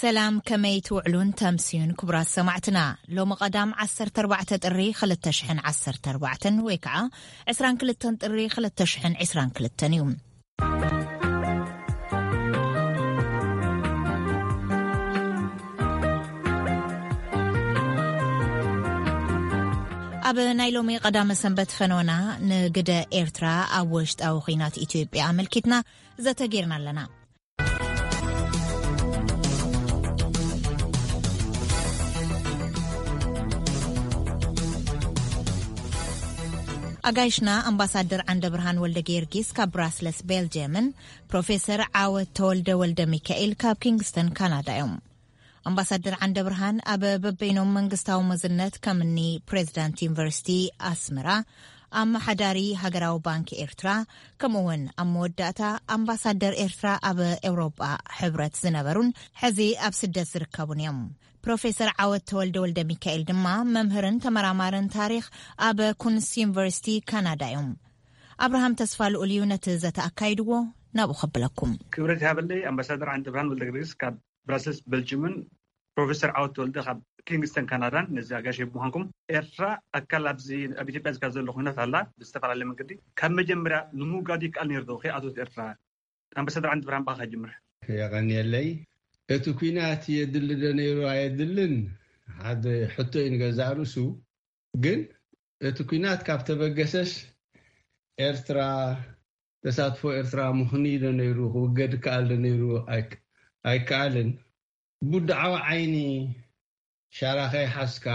ሰላም፣ ከመይ ትውዕሉን ተምስዩን ክቡራት ሰማዕትና? ሎሚ ቀዳም ዓሰርተ ኣርባዕተ ጥሪ ክልተ ሽሕን ዓሰርተ ኣርባዕተን ወይ ከዓ ዕስራን ክልተን ጥሪ ክልተ ሽሕን ዕስራን ክልተን እዩ። ኣብ ናይ ሎሚ ቀዳመ ሰንበት ፈኖና ንግደ ኤርትራ ኣብ ውሽጣዊ ኹናት ኢትዮጵያ ኣመልኪትና ዘተ ጌርና ኣለና። ኣጋይሽና ኣምባሳደር ዓንደ ብርሃን ወልደ ጊዮርጊስ ካብ ብራስለስ ቤልጅየምን ፕሮፌሰር ዓወት ተወልደ ወልደ ሚካኤል ካብ ኪንግስተን ካናዳ እዮም። ኣምባሳደር ዓንደ ብርሃን ኣብ በበይኖም መንግስታዊ መዝነት ከምኒ ፕሬዚዳንት ዩኒቨርሲቲ ኣስመራ፣ ኣመሓዳሪ ሃገራዊ ባንክ ኤርትራ፣ ከምኡ እውን ኣብ መወዳእታ ኣምባሳደር ኤርትራ ኣብ ኤውሮጳ ሕብረት ዝነበሩን ሕዚ ኣብ ስደት ዝርከቡን እዮም። ፕሮፌሰር ዓወት ተወልደ ወልደ ሚካኤል ድማ መምህርን ተመራማርን ታሪኽ ኣብ ኩንስ ዩኒቨርሲቲ ካናዳ እዮም። ኣብርሃም ተስፋ ልኡል እዩ ነቲ ዘተ ኣካይድዎ፣ ናብኡ ከብለኩም። ክብረት ይሃበለይ። ኣምባሳደር ዓንደ ብርሃን ወልደ ጊዮርጊስ ካብ ብራሰልስ ቤልጅምን ፕሮፌሰር ዓወት ተወልደ ካብ ኪንግስተን ካናዳን፣ ነዚ ኣጋይሽ ብምዃንኩም። ኤርትራ ኣካል ኣብዚ ኣብ ኢትዮጵያ ዝካ ዘሎ ኩነት ኣላ ብዝተፈላለየ መንገዲ። ካብ መጀመርያ ንምውጋድ ይከኣል ነይሩ ዶ ከይኣቶት ኤርትራ? ኣምባሳደር ዓንዲ ብርሃን፣ ብኣኻ ጅምር። የቐንየለይ። እቲ ኩናት የድሊ ዶ ነይሩ ኣየድልን ሓደ ሕቶ እዩ ንገዛእ ርእሱ። ግን እቲ ኩናት ካብ ተበገሰስ ኤርትራ ተሳትፎ ኤርትራ ምኽኑይ ዶ ነይሩ፣ ክውገድ ይከኣል ዶ ነይሩ ኣይክ-፣ ኣይከኣልን። ብውድዓዊ ዓይኒ ሻራኸይ ሓዝካ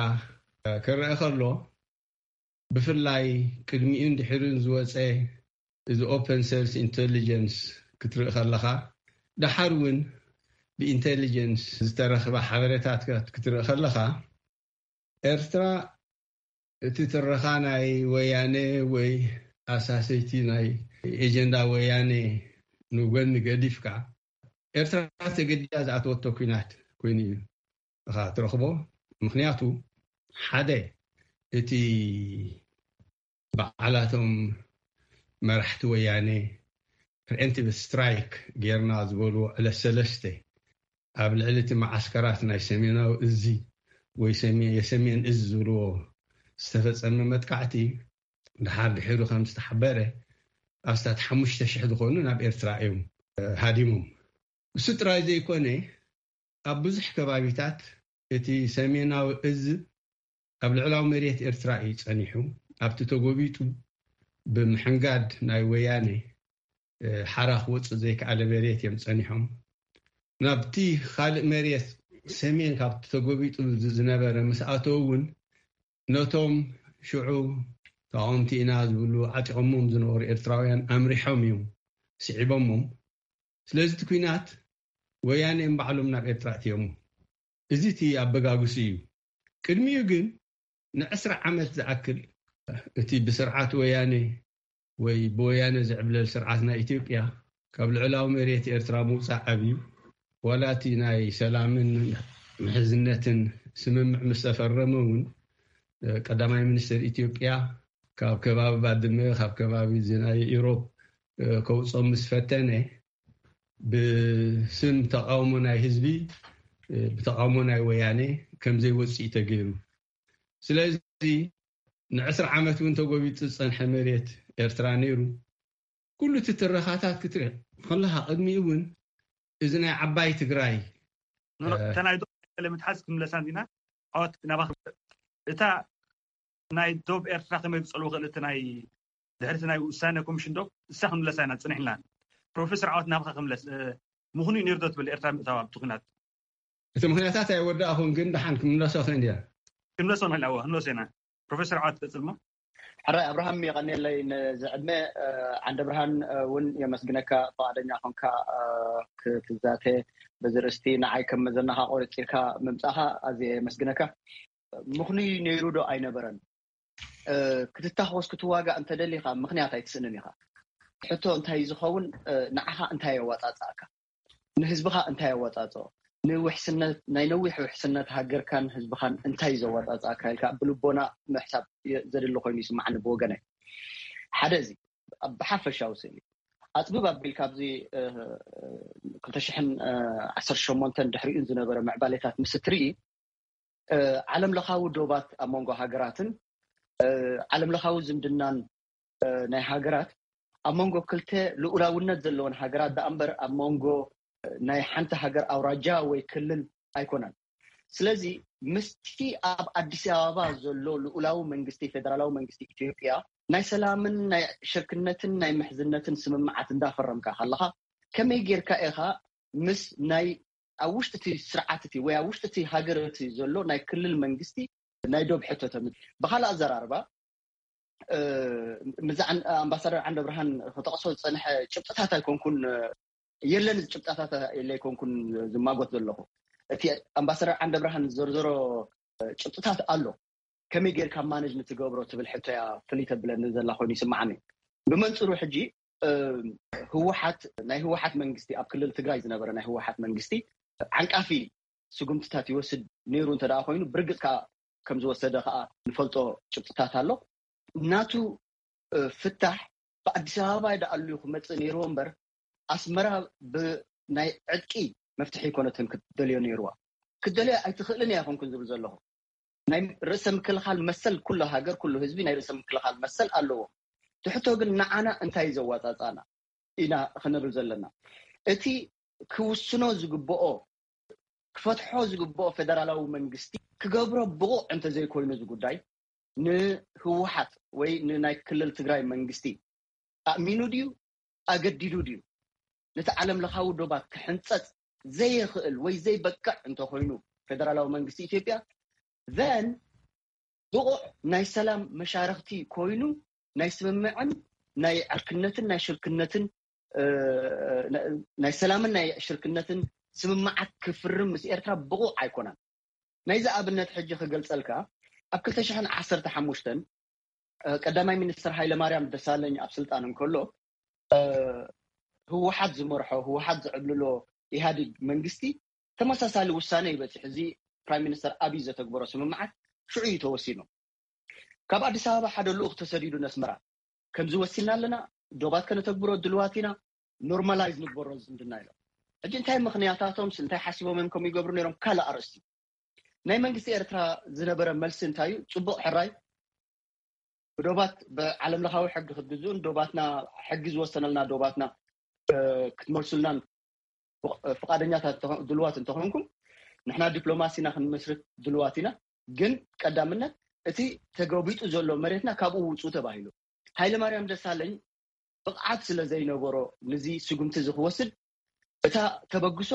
ክረአ ከሎ፣ ብፍላይ ቅድሚኡን ድሕሪኡን ዝወጸ እዚ ኦፐን ሰርስ ኢንተሊጀንስ ክትርኢ ከለኻ፣ ደሓር እውን ብኢንተሊጀንስ ዝተረኽበ ሓበሬታት ክትርኢ ከለኻ፣ ኤርትራ እቲ ትረኻ ናይ ወያነ ወይ ኣሳሰይቲ ናይ ኤጀንዳ ወያነ ንጎኒ ገዲፍካ፣ ኤርትራ ተገዲዳ ዝኣተወቶ ኲናት ኮይኑ እዩ ኢኻ ትረኽቦ። ምኽንያቱ፣ ሓደ፣ እቲ በዓላቶም መራሕቲ ወያነ ፕሪኤምፕቲቭ ስትራይክ ጌርና ዝበልዎ ዕለት ሰለስተ ኣብ ልዕሊ እቲ መዓስከራት ናይ ሰሜናዊ እዝ ወይ ሰሜ-፣ የሰሜን እዝ ዝብልዎ ዝተፈጸመ መጥቃዕቲ፣ ድሓር ድሒሩ ከም ዝተሓበረ፣ ኣስታት ሓሙሽተ ሽሕ ዝኾኑ ናብ ኤርትራ እዮም፣ እ፣ ሃዲሞም። እሱ ጥራይ ዘይኮነ፣ ኣብ ብዙሕ ከባቢታት እቲ ሰሜናዊ እዝ ኣብ ልዕላዊ መሬት ኤርትራ እዩ ጸኒሑ። ኣብቲ ተጎቢጡ ብምሕንጋድ ናይ ወያነ፣ እ፣ ሓራ ክወጽእ ዘይከኣለ መሬት እዮም ጸኒሖም። ናብቲ ካልእ መሬት ሰሜን ካብቲ ተጎቢጡ ዝ-፣ ዝነበረ ምስ ኣተው እውን፣ ነቶም ሽዑ ተቓወምቲ ኢና ዝብሉ ዓጢቖሞም ዝነበሩ ኤርትራውያን ኣምሪሖም እዮም፣ ስዒቦሞም። ስለዚ እቲ ኲናት ወያነ እዮም ባዕሎም ናብ ኤርትራ ኣእትዮሞ። እዚ እቲ ኣበጋግሱ እዩ። ቅድሚኡ ግን ንዕስራ ዓመት ዝኣክል እቲ ብስርዓት ወያነ ወይ ብወያነ ዝዕብለል ስርዓት ናይ ኢትዮጵያ ካብ ልዕላዊ መሬት ኤርትራ ምውጻእ ኣብዩ፣ ዋላ እቲ ናይ ሰላምን ምሕዝነትን ስምምዕ ምስ ተፈረመ እውን፣ እ፣ ቀዳማይ ሚኒስትር ኢትዮጵያ ካብ ከባቢ ባድመ፣ ካብ ከባቢ እዚ ናይ ኢሮብ፣ እ፣ ከውጾም ምስ ፈተነ፣ ብስም ተቃውሞ ናይ ህዝቢ፣ እ፣ ብተቃውሞ ናይ ወያነ ከም ዘይወጽእ ተገይሩ። ስለዚ ንዕስራ ዓመት እውን ተጎቢጡ ዝጸንሐ መሬት ኤርትራ ነይሩ። ኩሉ እቲ ትረኻታት ክትርኢ ከለኻ፣ ቅድሚኡ እውን እዚ ናይ ዓባይ ትግራይ፣ ኖ፣ ኖ፣ እ፣ እታ ናይ ዶብ ለምትሓዝ ክንብለሳ እንዲና። ዓወት ናባኻ። እታ ናይ ዶብ ኤርትራ ከመይ ብጸልዎ ክእል፣ እቲ ናይ ድሕሪ እቲ ናይ ውሳነ ኮሚሽን ዶብ፣ እሳ ክንብለሳ ኢና ጸኒሕና። ፕሮፌሰር ዓወት ናባኻ ክምለስ፣ እ፣ ምኽኑይ ነይሩ ዶ ትብል ኤርትራ ምእታዋ ኣብቲ ኲናት? እቲ ምኽንያታት ኣይወዳእኹን፣ ግን ደሓን ክምለሶ ክእል እየ። ክንብለሶ ንኽእል፣ ኣዎ፣ ክንብለሶ ኢና። ፕሮፌሰር ዓወት ቀጽል እሞ። ሕራይ ኣብርሃም፣ የቐንየለይ ነዚ ዕድመ። እ፣ ዓንደ ብርሃን፣ እ፣ እውን የመስግነካ፣ ፈቓደኛ ኾንካ፣ እ፣ ክትዛተ በዚ ርእስቲ። ንዓይ ከም መዘናኻ ቆሪጽካ ምምጻኻ ኣዝየ የመስግነካ። ምኽኑይ ነይሩ ዶ ኣይነበረን? እ፣ ክትታኾስ ክትዋጋእ እንተደሊኻ ምኽንያት ኣይትስእንን ኢኻ። ሕቶ እንታይ ዝኸውን፣ እ፣ ንዓኻ እንታይ የዋጻጽኣካ? ንህዝብኻ እንታይ የዋጻጽኦ? ንውሕስነት፣ ናይ ነዊሕ ውሕስነት ሃገርካን ህዝብኻን እንታይ ዘዋጻጽኣካ ኢልካ ብልቦና ምሕሳብ የ-፣ ዘድሊ ኮይኑ ይስምዓኒ ብወገነይ። ሓደ እዚ፣ ኣብ ብሓፈሻዊ ስእሊ። ኣፅብብ ኣቢል ካብዚ ክልተ ሽሕን ዓሰርተ ሸሞንተን ድሕሪኡን ዝነበረ ምዕባሌታት ምስ እትርኢ ዓለም ለኻዊ ዶባት ኣብ መንጎ ሃገራትን ዓለም ለኻዊ ዝምድናን ናይ ሃገራት ኣብ መንጎ ክልተ ልኡላውነት ዘለወን ሃገራት ደኣ እምበር ኣብ መንጎ ናይ ሓንቲ ሃገር ኣውራጃ ወይ ክልል ኣይኮነን። ስለዚ ምስቲ ኣብ ኣዲስ ኣበባ ዘሎ ልኡላዊ መንግስቲ ፌደራላዊ መንግስቲ ኢትዮጵያ ናይ ሰላምን ናይ ሽርክነትን ናይ ምሕዝነትን ስምምዓት እንዳፈረምካ ከለኻ ከመይ ጌርካ ኢኻ ምስ ናይ ኣብ ውሽጢ እቲ ስርዓት እቲ ወይ ኣብ ውሽጢ እቲ ሃገር እቲ ዘሎ ናይ ክልል መንግስቲ ናይ ዶብ ሕቶ ተምጽእ? ብካልእ ኣዘራርባ ምዛ ኣምባሳደር ዓንደ ብርሃን ክጠቕሶ ዝፀንሐ ጭብጥታት ኣይኮንኩን የለን ጭብጣታት የለ ኣይኮንኩን ዝማጎት ዘለኹ። እቲ ኣምባሳደር ዓንደ ብርሃን ዘርዘሮ ጭብጥታት ኣሎ። ከመይ ጌርካ ማነጅ ንትገብሮ ትብል ሕቶ እያ ፍልይ ተብለኒ ዘላ ኮይኑ ይስምዓኒ። ብመንፅሩ ሕጂ ህወሓት ናይ ህወሓት መንግስቲ ኣብ ክልል ትግራይ ዝነበረ ናይ ህወሓት መንግስቲ ዓንቃፊ ስጉምትታት ይወስድ ነይሩ እንተ ደኣ ኮይኑ ብርግፅ ከዓ ከም ዝወሰደ ከዓ ንፈልጦ ጭብጥታት ኣሎ። ናቱ ፍታሕ ብኣዲስ ኣበባ ይደኣሉ ክመፅእ ነይርዎ እምበር ኣስመራ ብናይ ዕጥቂ መፍትሒ ይኮነትን ክትደልዮ ነይርዋ። ክትደልዮ ኣይትኽእልን እያ ኮንኩን ዝብል ዘለኹ። ናይ ርእሰ ምክልኻል መሰል ኩሉ ሃገር ኩሉ ህዝቢ ናይ ርእሰ ምክልኻል መሰል ኣለዎ። ትሕቶ ግን ንዓና እንታይ ዘዋፃፃና ኢና ክንብል ዘለና። እቲ ክውስኖ ዝግብኦ ክፈትሖ ዝግብኦ ፌደራላዊ መንግስቲ ክገብሮ ብቑዕ እንተዘይኮይኑ እዚ ጉዳይ ንህወሓት ወይ ንናይ ክልል ትግራይ መንግስቲ ኣእሚኑ ድዩ ኣገዲዱ ድዩ ነቲ ዓለም ለኻዊ ዶባት ክሕንፀፅ ዘይኽእል ወይ ዘይበቅዕ እንተኮይኑ ፌደራላዊ መንግስቲ ኢትዮጵያ ዘን ብቑዕ ናይ ሰላም መሻርክቲ ኮይኑ ናይ ስምምዕን ናይ ዕርክነትን ናይ ሽርክነትን ናይ ሰላምን ናይ ሽርክነትን ስምምዓት ክፍርም ምስ ኤርትራ ብቑዕ ኣይኮነን። ናይዚ ኣብነት ሕጂ ክገልፀልካ ኣብ ክልተ ሽሕን ዓሰርተ ሓሙሽተን ቀዳማይ ሚኒስትር ሃይለማርያም ደሳለኝ ኣብ ስልጣን እንከሎ ህወሓት ዝመርሖ ህወሓት ዝዕብልሎ ኢህኣዴግ መንግስቲ ተመሳሳሊ ውሳነ ይበፅሕ። እዚ ፕራይም ሚኒስተር ኣብይ ዘተግበሮ ስምምዓት ሽዑ እዩ ተወሲኑ። ካብ ኣዲስ ኣበባ ሓደ ልኡኽ ተሰዲዱ ነስመራ ከምዚ ወሲና ኣለና፣ ዶባት ከነተግብሮ ድልዋት ኢና፣ ኖርማላይዝ ንግበሮ ዝምድና ኢሎም። ሕጂ እንታይ ምኽንያታቶምስ እንታይ ሓሲቦም እዮም ከምኡ ይገብሩ ነይሮም ካልእ ኣርእስቲ። ናይ መንግስቲ ኤርትራ ዝነበረ መልሲ እንታይ እዩ? ፅቡቕ ሕራይ ብዶባት ብዓለም ለኻዊ ሕጊ ክትግዝኡን ዶባትና ሕጊ ዝወሰነልና ዶባትና ክትመልሱልናን ፍቃደኛታት ድልዋት እንተኾንኩም ንሕና ዲፕሎማሲና ክንመስርት ድልዋት ኢና። ግን ቀዳምነት እቲ ተገቢጡ ዘሎ መሬትና ካብኡ ውፁ ተባሂሉ። ሃይለ ማርያም ደሳለኝ ብቕዓት ስለ ዘይነበሮ ንዚ ስጉምቲ እዚ ክወስድ እታ ተበግሶ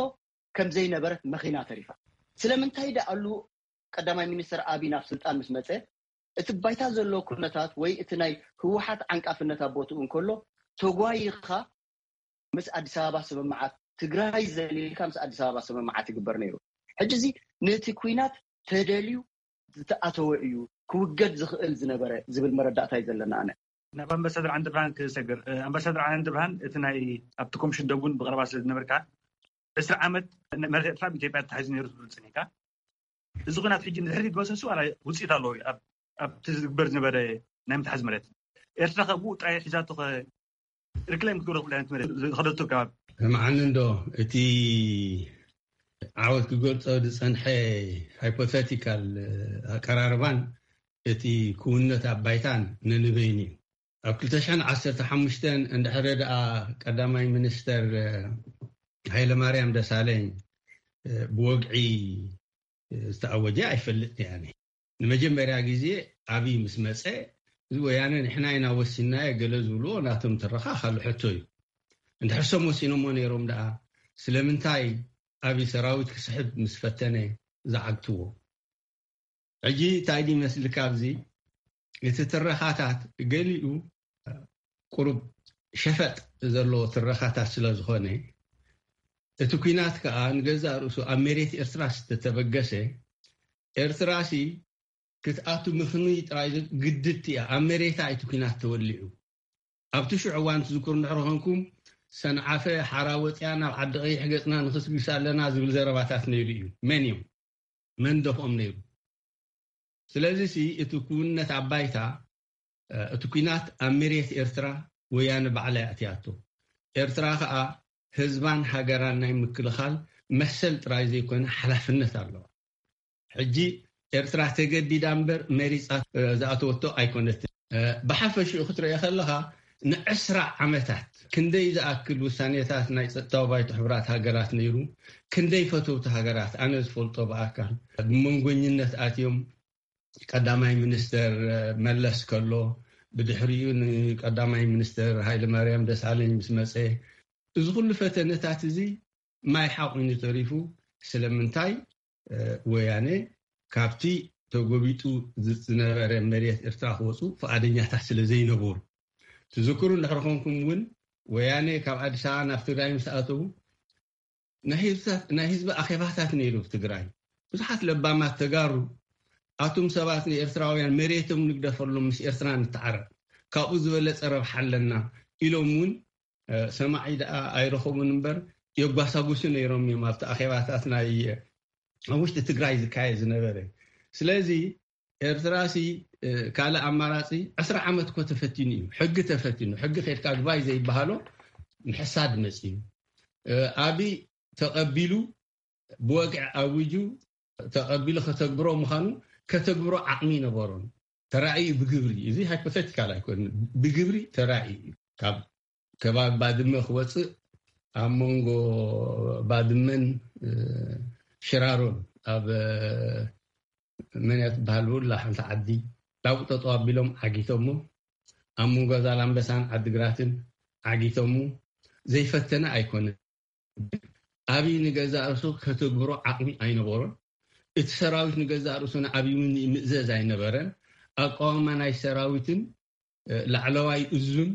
ከም ዘይነበረት መኺና ተሪፋ። ስለምንታይ ደኣሉ ቀዳማይ ሚኒስትር ኣብይ ናብ ስልጣን ምስ መፀ እቲ ባይታ ዘሎ ኩነታት ወይ እቲ ናይ ህወሓት ዓንቃፍነት ኣብ ቦትኡ እንከሎ ተጓይኻ ምስ ኣዲስ ኣበባ ስምምዓት ትግራይ ዘሊልካ ምስ ኣዲስ ኣበባ ስምምዓት ይግበር ነይሩ። ሕጂ እዚ ነቲ ኩናት ተደልዩ ዝተኣተወ እዩ ክውገድ ዝኽእል ዝነበረ ዝብል መረዳእታ እዩ ዘለና። ኣነ ናብ ኣምባሳደር ዓንደብርሃን ክሰግር። ኣምባሳደር ዓንደብርሃን እቲ ናይ ኣብቲ ኮሚሽን ደቡን ብቐረባ ስለ ዝነበርካ ዕስራ ዓመት መሬት ኤርትራ ብኢትዮጵያ ተታሒዙ ነይሩ ትብል ጸኒሕካ። እዚ ኩናት ሕጂ ንድሕሪት መሰሱ ዋላ ውፅኢት ኣለዎ ኣብቲ ዝግበር ዝነበረ ናይ ምትሓዝ መሬት ኤርትራ ከብኡ ጥራይ ሒዛቶ ሪክላይም ክትገብሮ ትኽእል ዓይነት መሬት ዝኸደቶ ከባቢ። ስምዓኒ እንዶ እቲ ዓወት ክገልፆ ዝፀንሐ ሃይፖቴቲካል ኣቀራርባን እቲ ክውነት ኣብ ባይታን ነንበይኑ እዩ። ኣብ ክልተ ሽሕን ዓሰርተ ሓሙሽተን እንድሕሪ ደኣ ቀዳማይ ሚኒስተር ሃይለማርያም ደሳለኝ ብወግዒ ዝተኣወጀ ኣይፈልጥን እየ። ንመጀመርያ ግዜ ኣብይ ምስ መፀ እዚ ወያነ ንሕና ኢና ወሲንናዮ ገለ ዝብልዎ ናቶም ትረኻ ካልእ ሕቶ እዩ። እንድሕር ሰም ወሲኖሞ ነይሮም ደኣ ስለምንታይ ኣብይ ሰራዊት ክስሕብ ምስ ፈተነ ዝዓግትዎ? ሕጂ እንታይ ድዩ ይመስልካ ኣብዚ እቲ ትረኻታት ገሊኡ ቁሩብ ሸፈጥ ዘለዎ ትረኻታት ስለ ዝኾነ እቲ ኲናት ከኣ ንገዛእ ርእሱ ኣብ መሬት ኤርትራ ዝተተበገሰ ኤርትራሲ ክትኣቱ ምኽኑይ ጥራይ ግድድቲ እያ ኣብ መሬታ እቲ ኲናት ተወሊዑ ኣብቲ ሽዑ እዋን ትዝክሩ እንድሕር ኾንኩም ሰንዓፈ ሓራ ወፅያ ናብ ዓዲ ቀይሕ ገፅና ንኽስግስ ኣለና ዝብል ዘረባታት ነይሩ እዩ። መን እዮም መን ደፍኦም ነይሩ? ስለዚ ሲ እቲ ክውንነት ኣብ ባይታ እቲ ኲናት ኣብ መሬት ኤርትራ ወያነ ባዕላ እያ ኣትያቶ። ኤርትራ ከዓ ህዝባን ሃገራን ናይ ምክልኻል መሰል ጥራይ ዘይኮነ ሓላፍነት ኣለዋ። ሕጂ ኤርትራ ተገዲዳ እምበር መሪፃ ዝኣተወቶ ኣይኮነትን። ብሓፈሽኡ ክትሪኦ ከለኻ ንዕስራ ዓመታት ክንደይ ዝኣክል ውሳኔታት ናይ ፀጥታዊ ባይቶ ሕቡራት ሃገራት ነይሩ፣ ክንደይ ፈተውቲ ሃገራት ኣነ ዝፈልጦ ብኣካል ብመንጎኝነት ኣትዮም ቀዳማይ ሚኒስተር መለስ ከሎ፣ ብድሕሪኡ ንቀዳማይ ሚኒስተር ሃይለ ማርያም ደሳለኝ ምስ መፀ፣ እዚ ኩሉ ፈተነታት እዚ ማይ ሓቑኑ ተሪፉ። ስለምንታይ? ወያነ ካብቲ ተጎቢጡ ዝነበረ መሬት ኤርትራ ክወፁ ፍቓደኛታት ስለ ዘይነበሩ። ትዝክሩ እንድሕር ኮንኩም እውን ወያነ ካብ ኣዲስ ኣበባ ናብ ትግራይ ምስ ኣተዉ ናይ ህዝቢ ኣኼባታት ነይሩ ኣብ ትግራይ። ብዙሓት ለባማት ተጋሩ ኣቱም ሰባት ንኤርትራውያን መሬቶም ንግደፈሎም፣ ምስ ኤርትራ ንተዓረቕ፣ ካብኡ ዝበለፀ ረብሓ ኣለና ኢሎም እውን ሰማዒ ደኣ ኣይረኸቡን እምበር የጓሳጉሱ ነይሮም እዮም ኣብቲ ኣኼባታት ናይ ኣብ ውሽጢ ትግራይ ዝካየድ ዝነበረ። ስለዚ ኤርትራሲ ካልእ ኣማራፂ ዕስራ ዓመት እኮ ተፈቲኑ እዩ። ሕጊ ተፈቲኑ፣ ሕጊ ከድካ ግባይ ዘይበሃሎ ምሕሳድ መፂኡ። ኣብይ ተቐቢሉ ብወግዒ ኣዊጁ ተቐቢሉ ከተግብሮ ምዃኑ ከተግብሮ ዓቕሚ ይነበሮን ተራእዩ ብግብሪ። እዚ ሃይፖቴቲካል ኣይኮን፣ ብግብሪ ተራእዩ እዩ። ካብ ከባቢ ባድመ ክወፅእ ኣብ መንጎ ባድመን ሽራሮን ኣብ መን እያ ትበሃል ብላ ሓንቲ ዓዲ ላቡ ጠጠው ኣቢሎም ዓጊቶሞ፣ ኣብ መንጎ ዛላምበሳን ዓዲግራትን ዓጊቶሞ። ዘይፈተነ ኣይኮነ። ኣብይ ንገዛእ ርእሱ ከተግብሮ ዓቕሚ ኣይነበሮን። እቲ ሰራዊት ንገዛእ ርእሱ ንኣብይ እውን ይምእዘዝ ኣይነበረን። ኣቃውማ ናይ ሰራዊትን ላዕለዋይ እዙን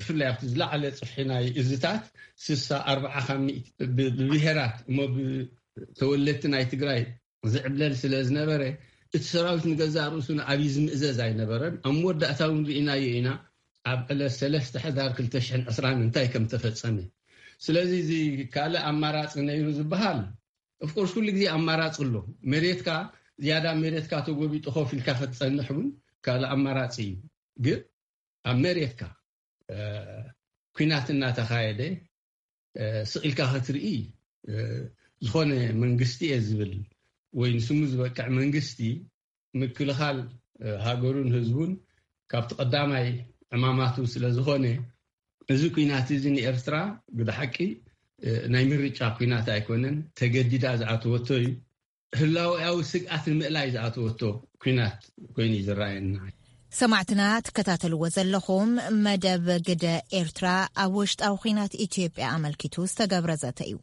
ብፍላይ ኣብቲ ዝለዓለ ፅፍሒ ናይ እዝታት ስሳ ኣርባዓ ካብ ሚእቲ ብብሄራት እሞ ብተወለድቲ ናይ ትግራይ ዝዕብለል ስለ ዝነበረ እቲ ሰራዊት ንገዛእ ርእሱ ንኣብይ ዝምእዘዝ ኣይነበረን። ኣብ መወዳእታ እውን ርኢናዮ ኢና ኣብ ዕለት ሰለስተ ሕዳር ክልተ ሽሕን ዕስራን እንታይ ከም ተፈጸመ። ስለዚ እዚ ካልእ ኣማራፂ ነይሩ ዝበሃል ኦፍኮርስ ኩሉ ግዜ ኣማራፂ ኣሎ። መሬትካ ዝያዳ መሬትካ ተጎቢጡ ኮፍ ኢልካ ክትፀንሕ እውን ካልእ ኣማራፂ እዩ። ግን ኣብ መሬትካ ኩናት እናተኻየደ ስቕ ኢልካ ክትርኢ ዝኾነ መንግስቲ እየ ዝብል ወይ ንስሙ ዝበቅዕ መንግስቲ ምክልኻል ሃገሩን ህዝቡን ካብቲ ቀዳማይ ዕማማቱ ስለ ዝኾነ እዚ ኩናት እዚ ንኤርትራ ብሓቂ ናይ ምርጫ ኩናት ኣይኮነን፣ ተገዲዳ ዝኣተወቶ እዩ። ህላውያዊ ስግኣት ንምእላይ ዝኣተወቶ ኩናት ኮይኑ እዩ ዝረኣየና። ሰማዕትና ትከታተልዎ ዘለኹም መደብ ግደ ኤርትራ ኣብ ውሽጣዊ ኩናት ኢትዮጵያ ኣመልኪቱ ዝተገብረ ዘተ እዩ።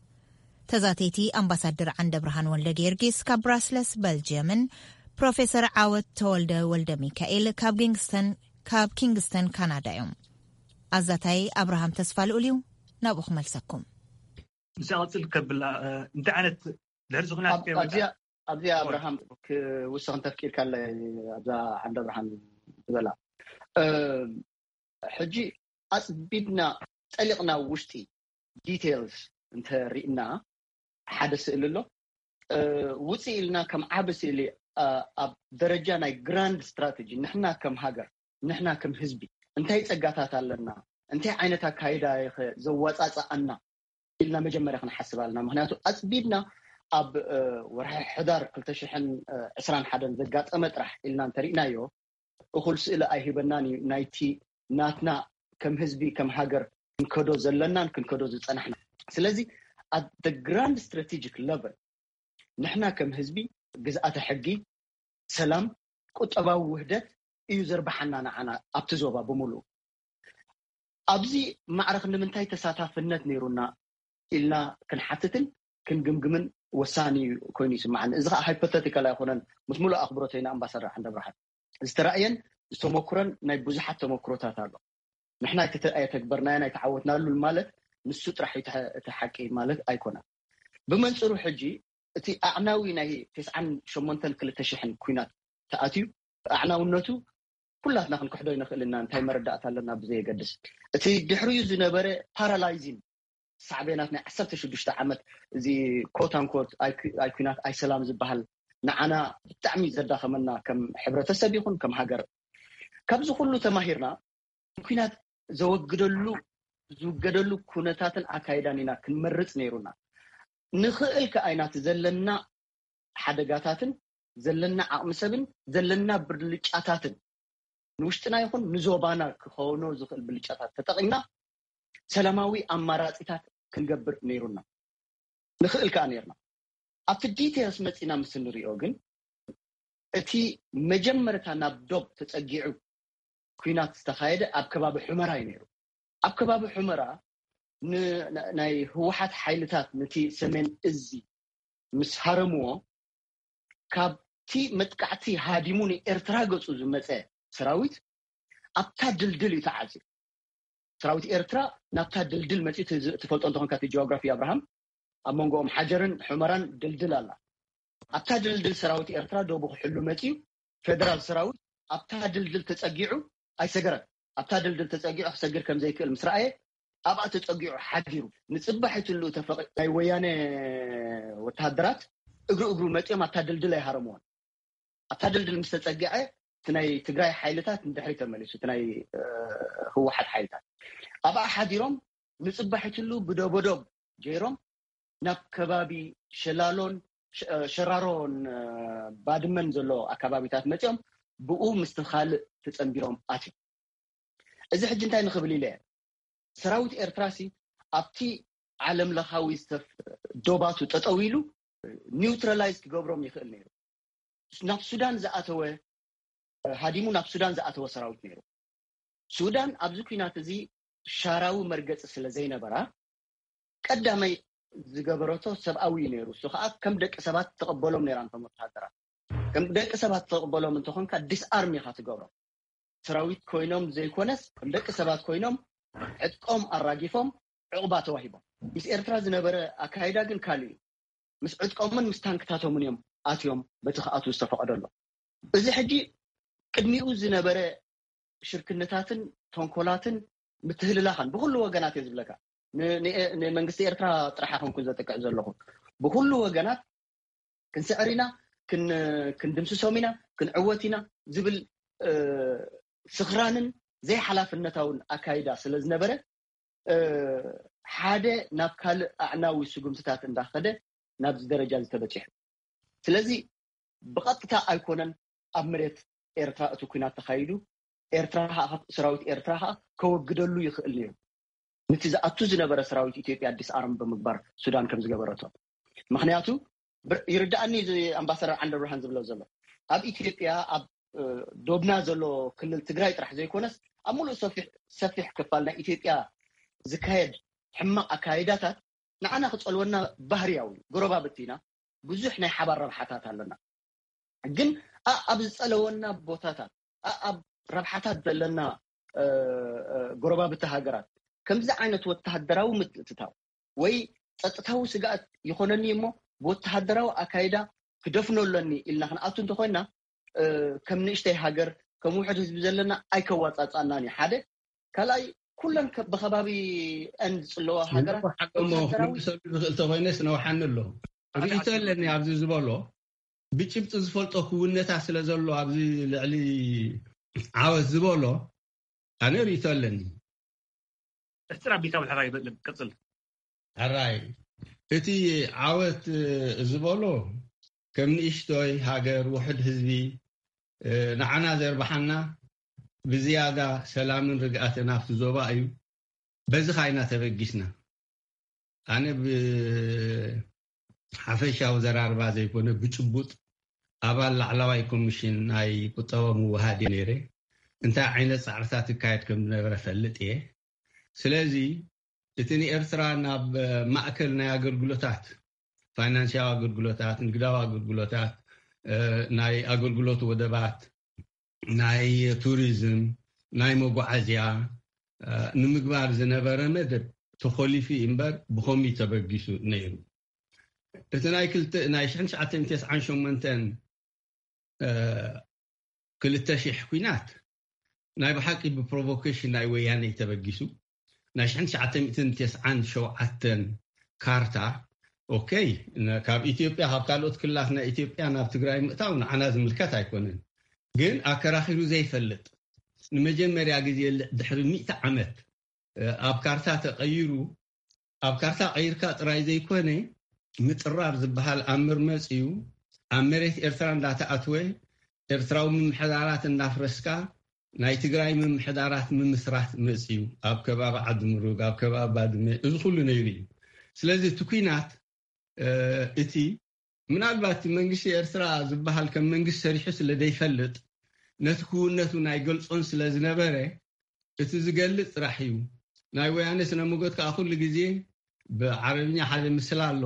ተዛተይቲ ኣምባሳደር ዓንደ ብርሃን ወልደ ጊዮርጊስ ካብ ብራስለስ በልጅየምን ፕሮፌሰር ዓወት ተወልደ ወልደ ሚካኤል ካብ ኪንግስተን ካብ ኪንግስተን ካናዳ እዮም። ኣዛታይ ኣብርሃም ተስፋ ልኡል እዩ። ናብኡ ክመልሰኩም። ምስ ቀፅል ከብል እንታይ ዓይነት ድሕሪ ዝኩናት ኣብዚኣ ኣብዚኣ ኣብርሃም ክውስኽ እንተፍቂድካለ ኣብዛ ዓንደ ብርሃን ዝበላ ሕጂ ኣፅቢብና ጠሊቕና ውሽጢ ዲቴልስ እንተሪእና ሓደ ስእሊ ኣሎ። ውፅእ ኢልና ከም ዓቢ ስእሊ ኣብ ደረጃ ናይ ግራንድ ስትራተጂ ንሕና ከም ሃገር ንሕና ከም ህዝቢ እንታይ ፀጋታት ኣለና፣ እንታይ ዓይነት ኣካይዳ ዘዋፃፅኣና ኢልና መጀመርያ ክንሓስብ ኣለና። ምክንያቱ ኣፅቢብና ኣብ ወርሒ ሕዳር ክልተ ሽሕን ዕስራን ሓደን ዘጋጠመ ጥራሕ ኢልና እንተሪእናዮ እኹል ስእሊ ኣይህበናን እዩ ናይቲ ናትና ከም ህዝቢ ከም ሃገር ክንከዶ ዘለናን ክንከዶ ዝፀናሕና። ስለዚ at the grand strategic level ንሕና ከም ህዝቢ ግዝኣተ ሕጊ፣ ሰላም፣ ቁጠባዊ ውህደት እዩ ዘርብሓና ንዓና ኣብቲ ዞባ ብምሉኡ። ኣብዚ ማዕረክ ንምንታይ ተሳታፍነት ነይሩና ኢልና ክንሓትትን ክንግምግምን ወሳኒ ኮይኑ ይስማዓኒ። እዚ ከዓ ሃይፖተቲካል ኣይኮነን። ምስ ሙሉእ ኣኽብሮተይ ንኣምባሳደር ዓንደ ብርሃን ዝተራእየን ዝተሞክረን ናይ ብዙሓት ተሞክሮታት ኣሎ። ንሕና ኣይተተግበርናዮን ኣይተዓወትናሉን ማለት ንሱ ጥራሕ እቲ ሓቂ ማለት ኣይኮነን። ብመንፅሩ ሕጂ እቲ ኣዕናዊ ናይ ተስዓን ሸሞንተን ክልተ ሽሕን ኩናት ተኣትዩ ኣዕናውነቱ ኩላትና ክንክሕዶ ይንኽእል ኢና። እንታይ መረዳእታ ኣለና ብዘየገድስ እቲ ድሕሪኡ ዝነበረ ፓራላይዚን ሳዕቤናት ናይ ዓሰርተ ሽዱሽተ ዓመት እዚ ኮት ኣንኮት ኣይ ኩናት ኣይ ሰላም ዝበሃል ንዓና ብጣዕሚ ዘዳኸመና ከም ሕብረተሰብ ይኹን ከም ሃገር። ካብዚ ኩሉ ተማሂርና ኩናት ዘወግደሉ ዝውገደሉ ኩነታትን ኣካይዳን ኢና ክንመርጽ ነይሩና። ንኽእል ከኣ ኢና እቲ ዘለና ሓደጋታትን ዘለና ዓቕሚ ሰብን ዘለና ብልጫታትን ንውሽጥና ይኹን ንዞባና ክኸውኖ ዝኽእል ብልጫታት ተጠቒምና ሰላማዊ ኣማራጺታት ክንገብር ነይሩና። ንኽእል ከኣ ነይርና። ኣብቲ ዲቴልስ መጺና ምስ እንሪኦ ግን እቲ መጀመርታ ናብ ዶብ ተጸጊዑ ኲናት ዝተኻየደ ኣብ ከባቢ ሑመራ እዩ ነይሩ። ኣብ ከባቢ ሑመራ ን- ናይ ህወሓት ሓይልታት ነቲ ሰሜን እዚ ምስ ሃረምዎ ካብቲ መጥቃዕቲ ሃዲሙ ንኤርትራ ገጹ ዝመጸ ሰራዊት ኣብታ ድልድል እዩ ተዓጽዩ። ሰራዊት ኤርትራ ናብታ ድልድል መጺኡ ትዝ- ትፈልጦ እንተኾንካ እቲ ጂኦግራፊ ኣብርሃም ኣብ መንጎኦም ሓጀርን ሑመራን ድልድል ኣላ። ኣብታ ድልድል ሰራዊት ኤርትራ ደቡ ክሕሉ መጺኡ ፌደራል ሰራዊት ኣብታ ድልድል ተጸጊዑ ኣይሰገረን። ኣብታ ድልድል ተጸጊዑ ክሰግር ከም ዘይክእል ምስ ረኣየ ኣብኣ ተጸጊዑ ሓዲሩ። ንጽባሕ ይትልኡ ተፈቒ ናይ ወያነ ወተሃደራት እግሪ እግሩ መጺኦም ኣብታ ድልድል ኣይሃረምዎን። ኣብታ ድልድል ምስ ተጸግዐ እቲ ናይ ትግራይ ሓይልታት ንድሕሪ ተመሊሱ እቲ ናይ ህወሓት ሓይልታት ኣብኣ ሓዲሮም ንፅባሒትሉ ብደቦዶብ ገይሮም ናብ ከባቢ ሸላሎን ሸራሮን ባድመን ዘሎ ኣካባቢታት መፂኦም ብኡ ምስቲ ካልእ ተፀንቢሮም ኣትዮም። እዚ ሕጂ እንታይ ንኽብል ኢለ ሰራዊት ኤርትራ ሲ ኣብቲ ዓለም ለኻዊ ዶባቱ ጠጠው ኢሉ ኒውትራላይዝ ክገብሮም ይኽእል ነይሩ። ናብ ሱዳን ዝኣተወ ሃዲሙ ናብ ሱዳን ዝኣተወ ሰራዊት ነይሩ። ሱዳን ኣብዚ ኲናት እዚ ሻራዊ መርገፂ ስለ ዘይነበራ ቀዳመይ ዝገበረቶ ሰብኣዊ እዩ ነይሩ። እሱ ከዓ ከም ደቂ ሰባት ተቐበሎም ነይራ። እንቶም ወተሃደራት ከም ደቂ ሰባት ተቐበሎም እንተኾንካ ዲስኣርም ኢኻ ትገብሮም። ሰራዊት ኮይኖም ዘይኮነስ ከም ደቂ ሰባት ኮይኖም ዕጥቆም ኣራጊፎም ዕቑባ ተዋሂቦም። ምስ ኤርትራ ዝነበረ ኣካይዳ ግን ካልእ እዩ። ምስ ዕጥቆምን ምስ ታንክታቶምን እዮም ኣትዮም በቲ ክኣትዉ ዝተፈቐደሎም። እዚ ሕጂ ቅድሚኡ ዝነበረ ሽርክነታትን ተንኮላትን ምትህልላኻን ብኩሉ ወገናት እየ ዝብለካ። ንመንግስቲ ኤርትራ ጥራሕ ኣይኮንኩን ዘጥቅዕ ዘለኹ። ብኩሉ ወገናት ክንስዕር ኢና፣ ክንድምስሶም ኢና፣ ክንዕወት ኢና ዝብል ስኽራንን ዘይሓላፍነታውን ኣካይዳ ስለ ዝነበረ ሓደ ናብ ካልእ ኣዕናዊ ስጉምትታት እንዳኸደ ናብዚ ደረጃ ዝተበፂሑ። ስለዚ ብቐጥታ ኣይኮነን ኣብ መሬት ኤርትራ እቲ ኲናት ተኻይዱ። ኤርትራ ሰራዊት ኤርትራ ከዓ ከወግደሉ ይኽእል ነይሩ። ንቲ ዝኣቱ ዝነበረ ሰራዊት ኢትዮጵያ ዲስኣርም ብምግባር ሱዳን ከም ዝገበረቶ። ምክንያቱ ይርዳእኒ ኣምባሳደር ዓንደብርሃን ዝብሎ ዘሎ ኣብ ኢትዮጵያ ኣብ ዶብና ዘሎ ክልል ትግራይ ጥራሕ ዘይኮነስ ኣብ ሙሉእ ሰፊሕ ክፋል ናይ ኢትዮጵያ ዝካየድ ሕማቕ ኣካይዳታት ንዓና ክፀልወና ባህርያዊ እዩ። ጎረባብቲ ኢና፣ ብዙሕ ናይ ሓባር ረብሓታት ኣለና። ግን ኣብ ዝፀለወና ቦታታት ኣብ ረብሓታት ዘለና ጎረባብቲ ሃገራት ከምዚ ዓይነት ወተሃደራዊ ምትእትታው ወይ ፀጥታዊ ስግኣት ይኾነኒ እሞ ብወተሃደራዊ ኣካይዳ ክደፍኖ ኣለኒ ኢልና ክንኣቱ እንተኮይና ከም ንእሽተይ ሃገር ከም ውሕድ ህዝቢ ዘለና ኣይከዋፃፃናን እዩ። ሓደ ካልኣይ ኩለን ብከባቢ ን ዝፅለዋ ሃገራት ክምልሰሉ ዝኽእል ተኮይነስ ነውሓኒ ኣሎ። ርእቶ ኣለኒ ኣብዚ ዝበሎ ብጭብጢ ዝፈልጦ ክውነታ ስለ ዘሎ ኣብዚ ልዕሊ ዓወት ዝበሎ ኣነ ርእቶ ኣለኒ። እስጢር ኣቢልካ ብልሕራይ ይበልም ቀጽል። ሕራይ እቲ ዓወት ዝበሎ ከም ንእሽቶይ ሃገር ውሕድ ህዝቢ ንዓና ዘርብሓና ብዝያዳ ሰላምን ርግኣትን ኣብቲ ዞባ እዩ። በዚ ካይና ተበጊስና። ኣነ ብሓፈሻዊ ዘራርባ ዘይኮነ ብጭቡጥ ኣባል ላዕላዋይ ኮሚሽን ናይ ቁጠባ ምውሃድ እየ ነይረ። እንታይ ዓይነት ፃዕርታት ይካየድ ከም ዝነበረ ፈልጥ እየ። ስለዚ እቲ ንኤርትራ ናብ ማእከል ናይ ኣገልግሎታት፣ ፋይናንስያዊ ኣገልግሎታት፣ ንግዳዊ ኣገልግሎታት፣ ናይ ኣገልግሎት ወደባት፣ ናይ ቱሪዝም፣ ናይ መጓዓዝያ ንምግባር ዝነበረ መደብ ተኾሊፉ እምበር ብኸምኡ ተበጊሱ ነይሩ። እቲ ናይ ክልተ ናይ ሽሕን ትሽዓተ ሚእትን ተስዓን ሸሞንተን ክልተ ሺሕ ኲናት ናይ ብሓቂ ብፕሮቮኬሽን ናይ ወያነ ተበጊሱ። ናይ ሽሕን ትሽዓተ ሚእትን ተስዓን ሸውዓተን ካርታ ኦኬ ካብ ኢትዮጵያ ካብ ካልኦት ክልላት ናይ ኢትዮጵያ ናብ ትግራይ ምእታው ንዓና ዝምልከት ኣይኮነን። ግን ኣከራኺሩ ዘይፈልጥ ንመጀመርያ ግዜ ድሕሪ ሚእቲ ዓመት ኣብ ካርታ ተቐይሩ፣ ኣብ ካርታ ቀይርካ ጥራይ ዘይኮነ፣ ምጥራር ዝበሃል ኣምር መጽዩ፣ ኣብ መሬት ኤርትራ እንዳተኣትወ፣ ኤርትራዊ ምምሕዳራት እንዳፍረስካ፣ ናይ ትግራይ ምምሕዳራት ምምስራት መጽዩ፣ ኣብ ከባቢ ዓዲ ምሩግ፣ ኣብ ከባቢ ባድመ፣ እዚ ኩሉ ነይሩ እዩ። ስለዚ እቲ ኲናት እቲ ምናልባት መንግስቲ ኤርትራ ዝበሃል ከም መንግስቲ ሰሪሑ ስለ ዘይፈልጥ፣ ነቲ ክውነቱ ናይ ገልጾን ስለ ዝነበረ፣ እቲ ዝገልጽ ጥራሕ እዩ። ናይ ወያነ ስነ መጎት ከዓ ኩሉ ግዜ ብዓረብኛ ሓደ ምስል ኣሎ፣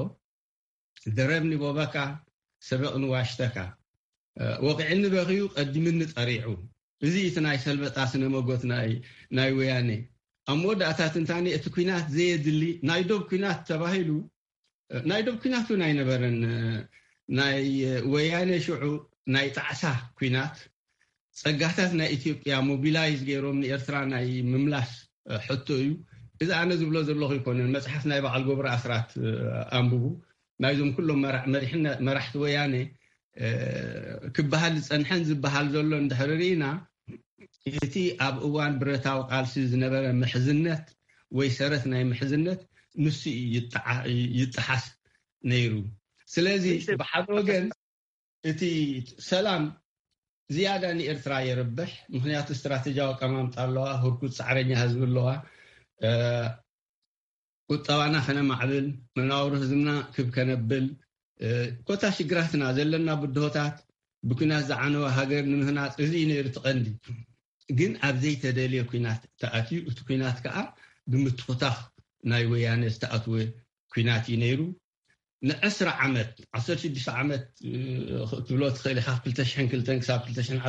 ደረብኒ ቦበካ ሰበቕኒ ዋሽተካ፣ ወቂዕኒ በኽዩ ቀዲምኒ ጠሪዑ። እዚ እቲ ናይ ሰልበጣ ስነ መጎት ናይ ወያነ። ኣብ መወዳእታ ትንታኔ፣ እቲ ኲናት ዘየድሊ ናይ ዶብ ኲናት ተባሂሉ፣ ናይ ዶብ ኲናት እውን ኣይነበረን። ናይ ወያነ ሽዑ ናይ ጣዕሳ ኲናት፣ ጸጋታት ናይ ኢትዮጵያ ሞቢላይዝ ገይሮም ንኤርትራ ናይ ምምላስ ሕቶ እዩ። እዚ ኣነ ዝብሎ ዘለኹ ኣይኮነን። መጽሓፍ ናይ በዓል ገብሩ ኣስራት ኣንብቡ። ናይዞም ኩሎም መራሕቲ ወያነ ክበሃል ዝጸንሐን ዝበሃል ዘሎ እንድሕሪ ርኢና፣ እቲ ኣብ እዋን ብረታዊ ቃልሲ ዝነበረ ምሕዝነት ወይ ሰረት ናይ ምሕዝነት ንሱ ይጠሓስ ነይሩ። ስለዚ ብሓደ ወገን እቲ ሰላም ዝያዳ ንኤርትራ የርብሕ። ምኽንያቱ ስትራተጂያዊ ኣቀማምጣ ኣለዋ፣ ህርኩት ጻዕረኛ ህዝቢ ኣለዋ። ቁጠባና ከነማዕብል፣ መናውሪ ህዝብና ክብ ከነብል፣ ኮታ ሽግራትና ዘለና ብድሆታት ብኩናት ዝዓነወ ሃገር ንምህናፅ፣ እዚ እዩ ነይሩ እቲ ቀንዲ። ግን ኣብ ዘይተደልየ ኩናት ተኣትዩ፣ እቲ ኩናት ከዓ ብምትኹታኽ ናይ ወያነ ዝተኣትወ ኩናት እዩ ነይሩ። ንዕስራ ዓመት፣ ዓሰርተ ሽዱሽተ ዓመት ክትብሎ ትኽእል ኢኻ፣ ክልተ ሽሕን ክልተን ክሳብ ክልተ ሽሕን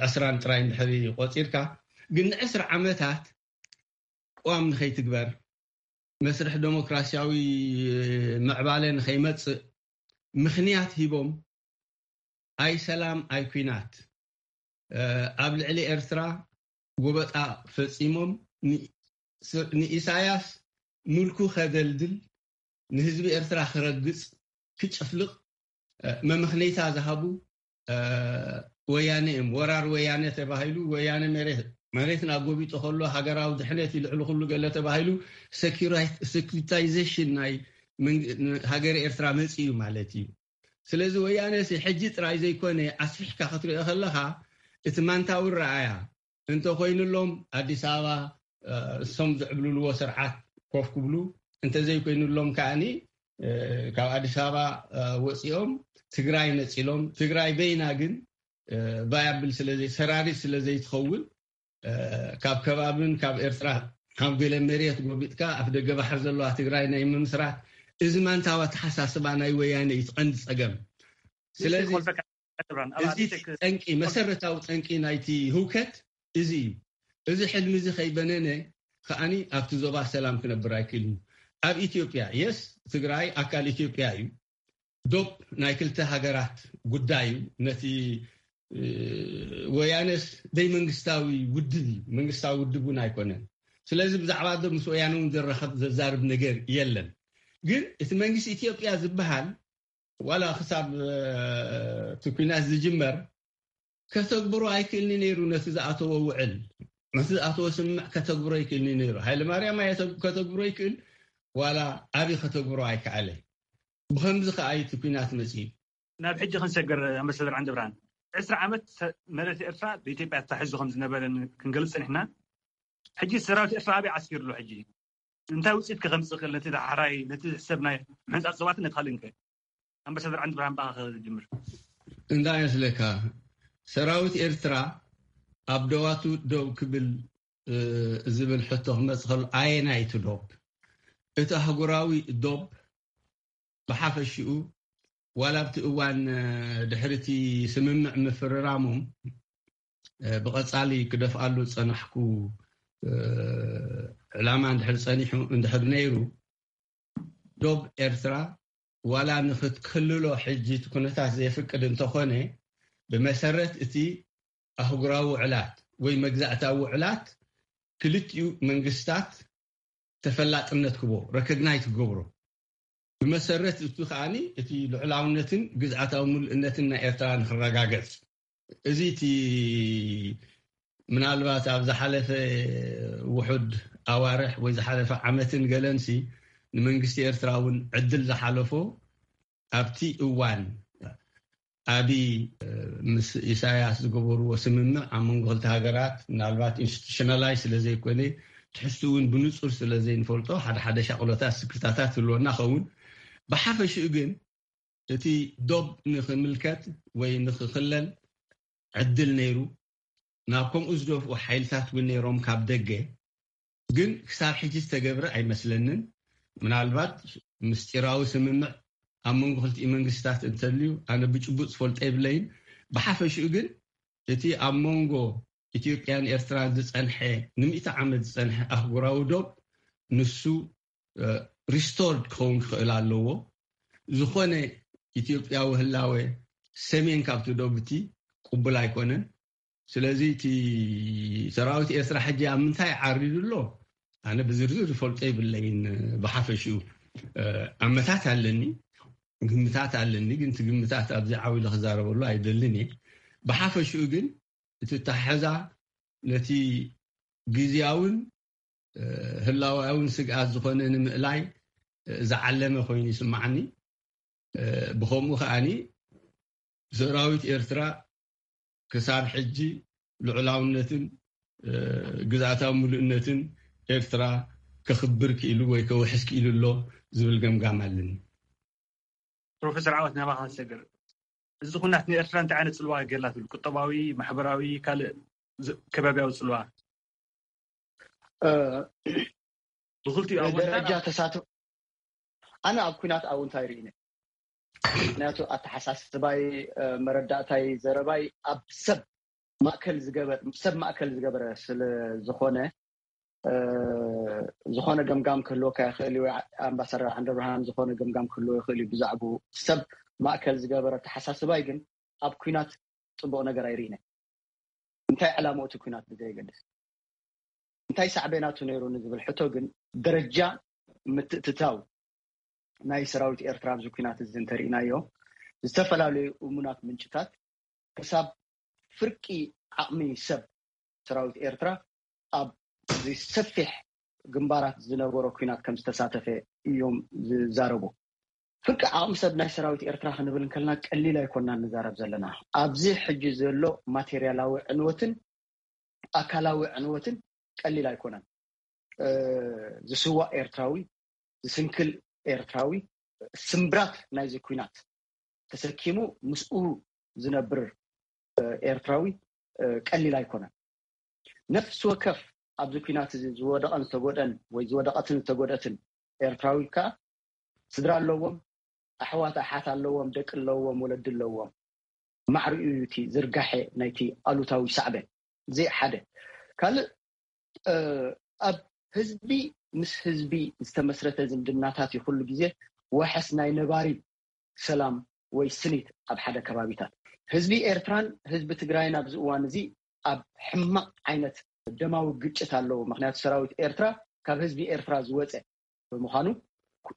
ዕስራን ጥራይ እንድሕሪ ቆፂርካ፣ ግን ንዕስራ ዓመታት ቅዋም ንኸይትግበር፣ መስርሕ ደሞክራሲያዊ ምዕባለ ንኸይመጽእ ምኽንያት ሂቦም፣ ኣይ ሰላም ኣይ ኩናት ኣብ ልዕሊ ኤርትራ ጎበጣ ፈጺሞም፣ ንኢሳያስ ምልኩ ከደልድል፣ ንህዝቢ ኤርትራ ክረግጽ፣ ክጭፍልቕ መመኽነይታ ዝሃቡ ወያነ እዮም። ወራር ወያነ ተባሂሉ፣ ወያነ መሬት መሬትና ጎቢጡ ከሎ፣ ሃገራዊ ድሕነት እዩ ልዕሊ ኩሉ ገለ ተባሂሉ፣ ሰኪራይ-፣ ሰኪሪታይዜሽን ናይ መንግ-፣ ሃገረ ኤርትራ መጺኡ ማለት እዩ። ስለዚ ወያነ ሲ ሕጂ ጥራይ ዘይኮነ፣ ኣስፊሕካ ክትሪኦ ከለኻ፣ እቲ ማንታዊ ረኣያ እንተኾይኑሎም፣ ኣዲስ ኣበባ እሶም ዝዕብልልዎ ስርዓት ኮፍ ክብሉ፣ እንተዘይኮይኑሎም ከኣኒ ካብ ኣዲስ ኣበባ ወፂኦም ትግራይ ነፂሎም፣ ትግራይ በይና ግን ቫያብል ስለዘይ ሰራሪት ስለዘይትኸውን፣ ካብ ከባብን ካብ ኤርትራ ካብ ገለ መሬት ጎቢጥካ ኣፍ ደገ ባሕር ዘለዋ ትግራይ ናይ ምምስራት፣ እዚ ማንታዊ ኣተሓሳስባ ናይ ወያነ እዩ እቲ ቀንዲ ፀገም። ስለዚ እዚ ጠንቂ፣ መሰረታዊ ጠንቂ ናይቲ ህውከት እዚ እዩ። እዚ ሕልሚ እዚ ከይበነነ ከኣኒ ኣብቲ ዞባ ሰላም ክነብር ኣይክእልን። ኣብ ኢትዮጵያ፣ የስ፣ ትግራይ ኣካል ኢትዮጵያ እዩ። ዶብ ናይ ክልተ ሃገራት ጉዳይ እዩ። ነቲ ወያነስ ደይ መንግስታዊ ውድብ እዩ፣ መንግስታዊ ውድብ እውን ኣይኮነን። ስለዚ ብዛዕባ ዶ ምስ ወያነ እውን ዘራኸብ ዘዛርብ ነገር የለን። ግን እቲ መንግስቲ ኢትዮጵያ ዝበሃል ዋላ ክሳብ እቲ ኩናት ዝጅመር ከተግብሮ ኣይክእልኒ ነይሩ። ነቲ ዝኣተዎ ውዕል፣ ነቲ ዝኣተዎ ስምምዕ ከተግብሮ ኣይክእልኒ ነይሩ። ሃይለ ማርያም ኣየ ከተግብሮ ይክእል፣ ዋላ ኣቢ ከተግብሮ ኣይከኣለ። ብኸምዚ ከኣ እዩ እቲ ኩናት መጺኡ። ናብ ሕጂ ክንሰገር፣ ኣምባሳደር ዓንደ ብርሃን፣ ዕስራ ዓመት መሬት ኤርትራ ብኢትዮጵያ ተታሒዙ ከም ዝነበረ ክንገልጽ ጸኒሕና። ሕጂ ሰራዊት ኤርትራ ኣበይ ዓስኪሩ ኣሎ? ሕጂ እንታይ ውጽኢት ከ ከምጽእ ክእል? ነቲ ዳሕራይ፣ ነቲ ሰብ ናይ ምሕንጻጽ ዞባትን ነቲ ካልእን ከ? ኣምባሳደር ዓንደ ብርሃን፣ ብኣኻ ክጅምር። እንታይ ይመስለካ? ሰራዊት ኤርትራ ኣብ ዶባቱ ደው ክብል ዝብል ሕቶ ክመጽእ ከሎ፣ ኣየናይ እቲ ዶብ? እቲ ኣህጉራዊ ዶብ ብሓፈሽኡ፣ ዋላ ኣብቲ እዋን ድሕሪ እቲ ስምምዕ ምፍርራሞም ብቐጻሊ ክደፍኣሉ ዝጸናሕኩ ዕላማ እንድሕር ጸኒሑ እንድሕር ነይሩ፣ ዶብ ኤርትራ ዋላ ንኽትክልሎ ሕጂ እቲ ኩነታት ዘየፍቅድ እንተኾነ፣ ብመሰረት እቲ ኣህጉራዊ ውዕላት ወይ መግዛእታዊ ውዕላት ክልቲኡ መንግስታት ተፈላጥነት ክቦ ረኮግናይዝ ክገብሮ፣ ብመሰረት እቱ ከኣኒ እቲ ልዑላውነትን ግዝኣታዊ ምሉእነትን ናይ ኤርትራ ንክረጋገጽ፣ እዚ እቲ ምናልባት ኣብ ዝሓለፈ ውሑድ ኣዋርሕ ወይ ዝሓለፈ ዓመትን ገለንሲ ንመንግስቲ ኤርትራ እውን ዕድል ዝሓለፎ ኣብቲ እዋን ኣብይ ምስ ኢሳያስ ዝገበርዎ ስምምዕ ኣብ መንጎ ክልተ ሃገራት ምናልባት ኢንስቲቱሽናላይ ስለ ዘይኮነ ትሕዝቱ እውን ብንጹር ስለ ዘይንፈልጦ ሓደ ሓደ ሻቕሎታት ስክፍታታት ህልወና ኸውን። ብሓፈሽኡ ግን እቲ ዶብ ንኽምልከት ወይ ንኽኽለል ዕድል ነይሩ። ናብ ከምኡ ዝደፍኡ ሓይልታት እውን ነይሮም ካብ ደገ። ግን ክሳብ ሕጂ ዝተገብረ ኣይመስለንን። ምናልባት ምስጢራዊ ስምምዕ ኣብ መንጎ ክልቲኡ መንግስታት እንተልዩ ኣነ ብጭቡጥ ዝፈልጦ የብለይን። ብሓፈሽኡ ግን እቲ ኣብ መንጎ ኢትዮጵያን ኤርትራን ዝጸንሐ ንምእቲ ዓመት ዝጸንሐ ኣህጉራዊ ዶብ ንሱ ሪስቶርድ ክኸውን ክኽእል ኣለዎ። ዝኾነ ኢትዮጵያዊ ህላወ ሰሜን ካብቲ ዶብ እቲ ቅቡል ኣይኮነን። ስለዚ እቲ ሰራዊት ኤርትራ ሕጂ ኣብ ምንታይ ዓሪዱ ኣሎ ኣነ ብዝርዝር ዝፈልጦ ይብለይን። ብሓፈሽኡ ኣመታት ኣለኒ፣ ግምታት ኣለኒ። ግን እቲ ግምታት ኣብዚ ዓው ኢለ ክዛረበሉ ኣይደልን እየ። ብሓፈሽኡ ግን እቲ ታሕዛ ነቲ ግዝያውን ህላዋውን ስግኣት ዝኾነ ንምእላይ ዝዓለመ ኮይኑ ይስማዓኒ። ብኸምኡ ከዓኒ ሰራዊት ኤርትራ ክሳብ ሕጂ ልዑላውነትን ግዝኣታዊ ምሉእነትን ኤርትራ ከኽብር ክኢሉ ወይ ከውሕስ ክኢሉ ኣሎ ዝብል ገምጋም ኣለኒ። ፕሮፌሰር ዓወት ናባኻ ሰግር፣ እዚ ኩናት ንኤርትራ እንታይ ዓይነት ጽልዋ ገላ ትብል? ቁጠባዊ፣ ማሕበራዊ፣ ካልእ ከባቢያዊ ጽልዋ? ብክልቲኡ ደረጃ ተሳትፎ ኣነ ኣብ ኩናት ኣውንታ ይርኢነ። ምክንያቱ ኣተሓሳስባይ፣ መረዳእታይ፣ ዘረባይ ኣብ ሰብ ማእከል ዝገበር ሰብ ማእከል ዝገበረ ስለ ዝኾነ ዝኾነ ገምጋም ክህልወካ ይኽእል እዩ። ኣምባሳደር ዓንደብርሃን ዝኾነ ገምጋም ክህልዎ ይኽእል እዩ። ብዛዕባኡ ሰብ ማእከል ዝገበረ ኣተሓሳስባይ ግን ኣብ ኩናት ጽቡቕ ነገር ኣይርኢነ። እንታይ ዕላምኡ እቲ ኩናት ብዘየገድስ እንታይ ሳዕቤናቱ ነይሩ ንዝብል ሕቶ ግን ደረጃ ምትእትታው ናይ ሰራዊት ኤርትራ ኣብዚ ኩናት እዚ እንተርኢናዮ ዝተፈላለዩ እሙናት ምንጭታት ክሳብ ፍርቂ ዓቕሚ ሰብ ሰራዊት ኤርትራ ኣብ ሰፊሕ ግንባራት ዝነበሮ ኩናት ከም ዝተሳተፈ እዮም ዝዛረቡ። ፍርቂ ዓቕሚ ሰብ ናይ ሰራዊት ኤርትራ ክንብል እንከልና ቀሊል ኣይኮና ንዛረብ ዘለና። ኣብዚ ሕጂ ዘሎ ማቴርያላዊ ዕንወትን ኣካላዊ ዕንወትን ቀሊል ኣይኮነን። ዝስዋእ ኤርትራዊ፣ ዝስንክል ኤርትራዊ፣ ስምብራት ናይዚ ኩናት ተሰኪሙ ምስኡ ዝነብር ኤርትራዊ ቀሊል ኣይኮነን። ነፍሲ ወከፍ ኣብዚ ኩናት እዚ ዝወደቐን ዝተጎደን ወይ ዝወደቐትን ዝተጎደትን ኤርትራዊ ከኣ ስድራ ኣለዎም፣ ኣሕዋት ኣሓት ኣለዎም፣ ደቂ ኣለዎም፣ ወለዲ ኣለዎም። ማዕሪኡ እዩ እቲ ዝርጋሐ ናይቲ ኣሉታዊ ሳዕበን። እዚ ሓደ። ካልእ ኣብ ህዝቢ ምስ ህዝቢ ዝተመስረተ ዝምድናታት እዩ ኩሉ ግዜ ዋሕስ ናይ ነባሪ ሰላም ወይ ስኒት ኣብ ሓደ ከባቢታት። ህዝቢ ኤርትራን ህዝቢ ትግራይን ኣብዚ እዋን እዚ ኣብ ሕማቕ ዓይነት ደማዊ ግጭት ኣለዎ። ምክንያቱ ሰራዊት ኤርትራ ካብ ህዝቢ ኤርትራ ዝወፀ ብምዃኑ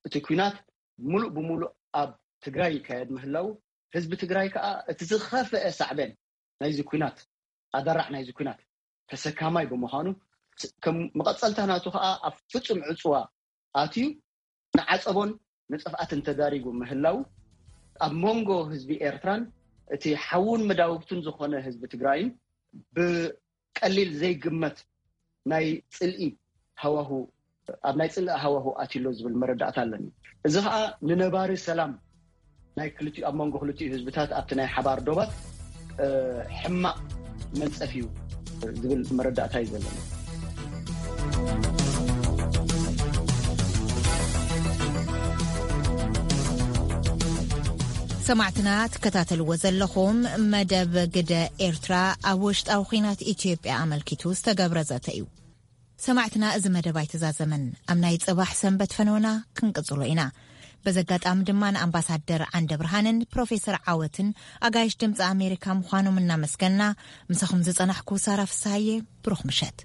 እቲ ኩናት ሙሉእ ብሙሉእ ኣብ ትግራይ ይካየድ ምህላው ህዝቢ ትግራይ ከዓ እቲ ዝኸፍአ ሳዕበን ናይዚ ኩናት ኣደራዕ ናይዚ ኩናት ተሰካማይ ብምዃኑ ከም መቐፀልታ ናቱ ከዓ ኣብ ፍፁም ዕፅዋ ኣትዩ ንዓፀቦን ንጥፍኣትን ተዳሪጉ ምህላው ኣብ መንጎ ህዝቢ ኤርትራን እቲ ሓውን መዳውብቱን ዝኾነ ህዝቢ ትግራይን ብቀሊል ዘይግመት ናይ ፅልኢ ሃዋሁ ኣብ ናይ ፅልኢ ሃዋሁ ኣትሎ ዝብል መረዳእታ ኣለኒ። እዚ ከዓ ንነባሪ ሰላም ናይ ክልቲኡ ኣብ መንጎ ክልቲኡ ህዝብታት ኣብቲ ናይ ሓባር ዶባት ሕማቕ መንፀፍ እዩ ዝብል መረዳእታ እዩ ዘለኒ። ሰማዕትና ትከታተልዎ ዘለኹም መደብ ግደ ኤርትራ ኣብ ውሽጣዊ ኲናት ኢትዮጵያ ኣመልኪቱ ዝተገብረ ዘተ እዩ። ሰማዕትና እዚ መደብ ኣይተዛዘመን። ኣብ ናይ ጽባሕ ሰንበት ፈነወና ክንቅጽሎ ኢና። በዚ ኣጋጣሚ ድማ ንኣምባሳደር ዓንደ ብርሃንን ፕሮፌሰር ዓወትን ኣጋይሽ ድምፂ ኣሜሪካ ምዃኖም እናመስገና ምሳኹም ዝጸናሕኩ ሳራ ፍስሃየ ብሩኽ ምሸት።